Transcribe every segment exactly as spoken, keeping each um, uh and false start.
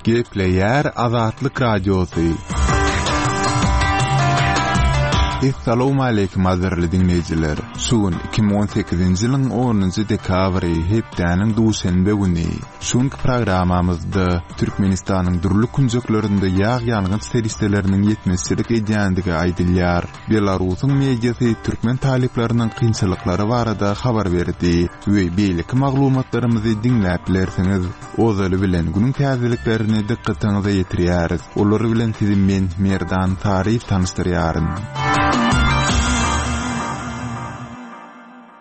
Gepleýär Azatlyk Radiosy. Essalawmaleýkim gadyrly diňleýjiler! Şu gün iki müň on sekizinji ýylyň onunjy dekabry, hepdäniň duşenbe güni. Şu günki programmamyzda Türkmenistanyň dürli künjeklerinde ýag-ýangyç serişdeleriniň ýetmezçilik edýändigi aýdylýar. Belarusyň mediasy türkmen talyplarynyň kynçylyklary barada habar berdi we beýleki maglumatlarymyzy diňläp bilersiňiz. Ozaly bilen günüň täzeliklerini dykgatyňyza ýetirýäris. Olar bilen sizi men, Merdan Saryýew tanyşdyrýaryn.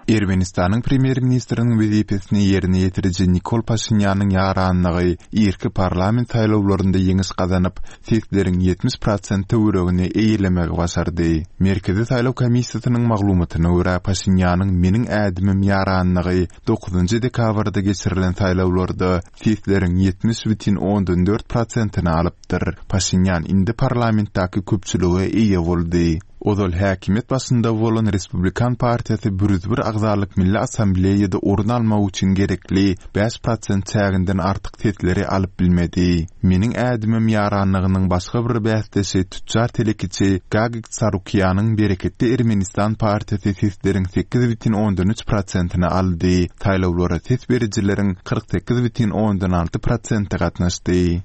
Ermenistanyň premýer-ministriniň wezipesini ýerine ýetiriji Nikol Paşinýanyň ýaranlygy irki parlament saýlawlarynda ýeňiş gazanyp, sesleriň ýetmiş prosent töweregini eýelemegi başardy. Merkezi saýlaw komissiýasynyň maglumatyna görä, Paşinýanyň Meniň ädimim ýaranlygy dokuzynjy dekabrda geçirilen saýlawlarda sesleriň ýetmiş bütin ondan dört prosentini alypdyr. Paşinýan indi parlamentdäki köpçülige eýe boldy. Ozal häkimiýet başynda bolan Respublikan partiýasy bir ýüz bir agzalyk Milli Assambleýada orun almak üçin gerekli bäş prosent çäginden artyk sesleri alyp bilmedi. Meniň ädimim ýaranlygynyň başga bir bäsdeşi tüçjar telekeçi Gagik Tsarukýanyň Bereketli Ermenistan partiýasy sesleriň sekiz bütin ondan üç prosentini aldy. Saýlawlara ses berijileriň kyrk sekiz bütin ondan alty prosenti gatnaşdy.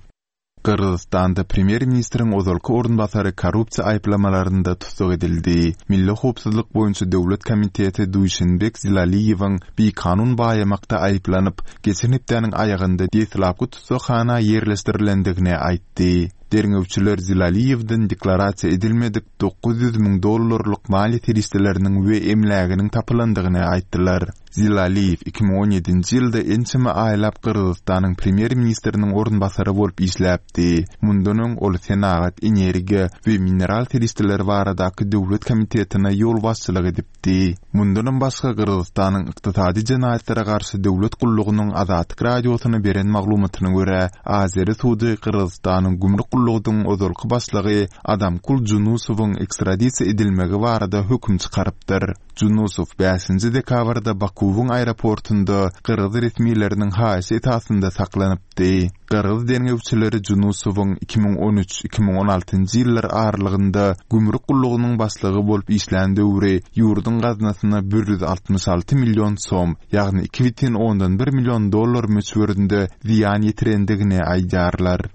Gyrgyzystanda premýer-ministriň ozalky orunbasary korrupsiýa aýyplamalarynda tussag edildi. Milli howpsuzlyk boýunça döwlet komiteti Duýşenbek Zilaliýewiň bikanun baýamakda aýyplanyp, geçen hepdäniň aýagynda deslapky tussaghana ýerleşdirilendigini aýtdy. Derňewçiler Zilaliýewden deklarasiýa edilmedik dokuz ýüz müň dollarlyk maliýe serişdeleriniň we emläginiň tapylandygyny aýtdylar. Zilaliýew iki müň on ýedinji ýylda ençeme aýlap Gyrgyzystanyň premýer-ministriniň orunbasary bolup işläpdi. Mundan öň ol senagat, energiýa we mineral serişdeleri baradaky döwlet komitetine ýolbaşçylyk edipdi. Mundanam başga Gyrgyzystanyň ykdysady jenaýatlara garşy döwlet gullugynyň Azatlyk Radiosyna beren maglumatyna görä, Azeri sudy Gyrgyzystanyň gümrük gullugynyň ozalky başlygy Adamkul Junusowyň ekstradisiýa edilmegi barada höküm çykarypdyr. Junusow bäşinji dekabrda Bakuwyň aeroportunda gyrgyz resmileriniň haýyşy esasynda saklanypdy. Gyrgyz derňewçileri Junusowyň iki müň on üç, iki müň on altynjy ýyllar aralygynda gümrük gullugynyň başlygy bolup işlän döwri ýurduň gaznasyna bir ýüz altmyş alty million som, ýagny iki bütin ondan bir million dollar möçberinde zyýan ýetirendigini aýdýarlar.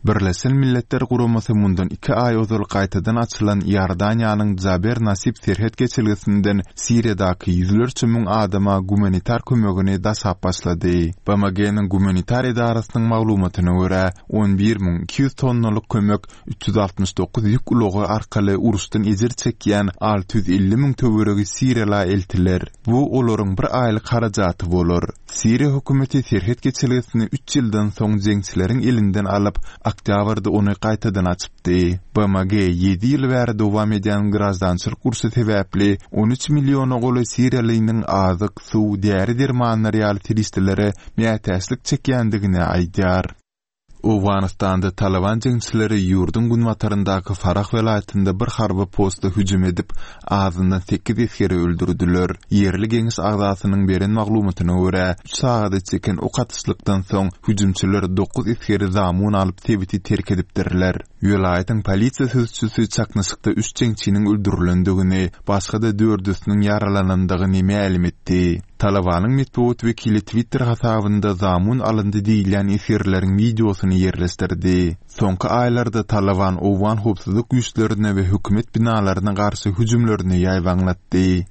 Birleşen Milletler Guramasy mundan iki aý ozal gaýtadan açylan Iordaniýanyň Jaber Nasib serhet geçelgesinden Siriýadaky ýüzlerçe müň adama gumanitar kömegini daşap başlady. B M G-niň gumanitar edarasynyň maglumatyna görä, on bir müň iki ýüz tonnalyk kömek üç ýüz altmyş dokuz ýük ulagy arkaly uruşdan ejir çekýän alty ýüz elli müň töweregi siriýala eltiler. Bu olaryň bir aýlyk harajaty bolar. Siriýa hökümeti serhet geçelgesini üç ýyldan soň jeňçileriň elinden alyp, oktýabrda ony gaýtadan açypdy. B M G ýedi ýyl bäri dowam edýän graždançylyk urşy sebäpli on üç milliona golaý siriýalynyň azyk, suw, däri-dermanlar ýaly serişdelere mätäçlik çekýändigini aýdýar. Owganystanda Taliban jeňçileri ýurduň günbataryndaky Farah welaýatynda bir harby posta hüjüm edip, azyndan sekiz esgeri öldürdiler. Ýerli geňeş agzasynyň beren maglumatyna görä, üç sagada çeken ok atyşlykdan soň hüjümçiler dokuz esgeri zamun alyp sebiti terk edipdirler. Welaýatyň polisiýa sözçüsi çaknyşykda üç jeňçiniň öldürilendigini, başga-da dördüsiniň ýaralanandygyny mälim etdi. Talabanyň metbugat wekili Twitter hasabynda zamun alyndy diýilýän esgerleriň wideosyny ýerleşdirdi. Soňky aýlarda Taliban owgan howpsuzlyk güýçlerine we hökümet binalaryna garşy hüjümlerini ýaýbaňlatdy.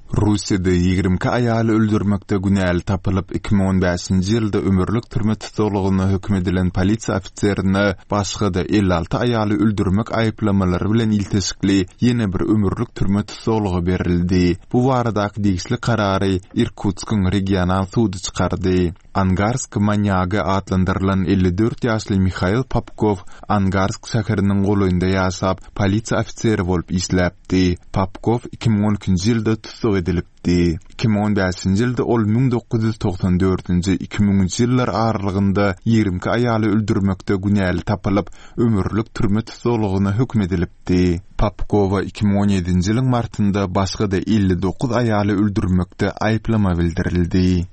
Russiýada ýigrimi iki aýaly öldürmekde günäli tapylyp, iki müň on bäşinji ýylda ömürlik türme tussaglygyna höküm edilen polisiýa ofiserine başga-da elli alty aýaly öldürmek aýyplamalary bilen ilteşikli ýene bir ömürlik türme tussaglygy berildi. Bu baradaky degişli karary Irkutskyň regional sudy çykardy. Angarsk manýagy atlandyrylan elli dört ýaşly Mihail Popkow Angarsk şäheriniň golaýynda ýaşap, polisiýa ofiseri bolup işläpdi. Popkow iki müň on ikinji ýylda tussag edilipdi. Iki müň on bäşinji ýylda ol müň dokuz ýüz togsan dördünji, iki müňünji ýyllar aralygynda ýigrimi iki aýaly öldürmekde günäli tapylyp, ömürlik türme tussaglygyna höküm edilipdi. Popkowa iki müň on ýedinji ýylyň martynda başga-da elli dokuz aýaly öldürmekde aýyplama bildirildi.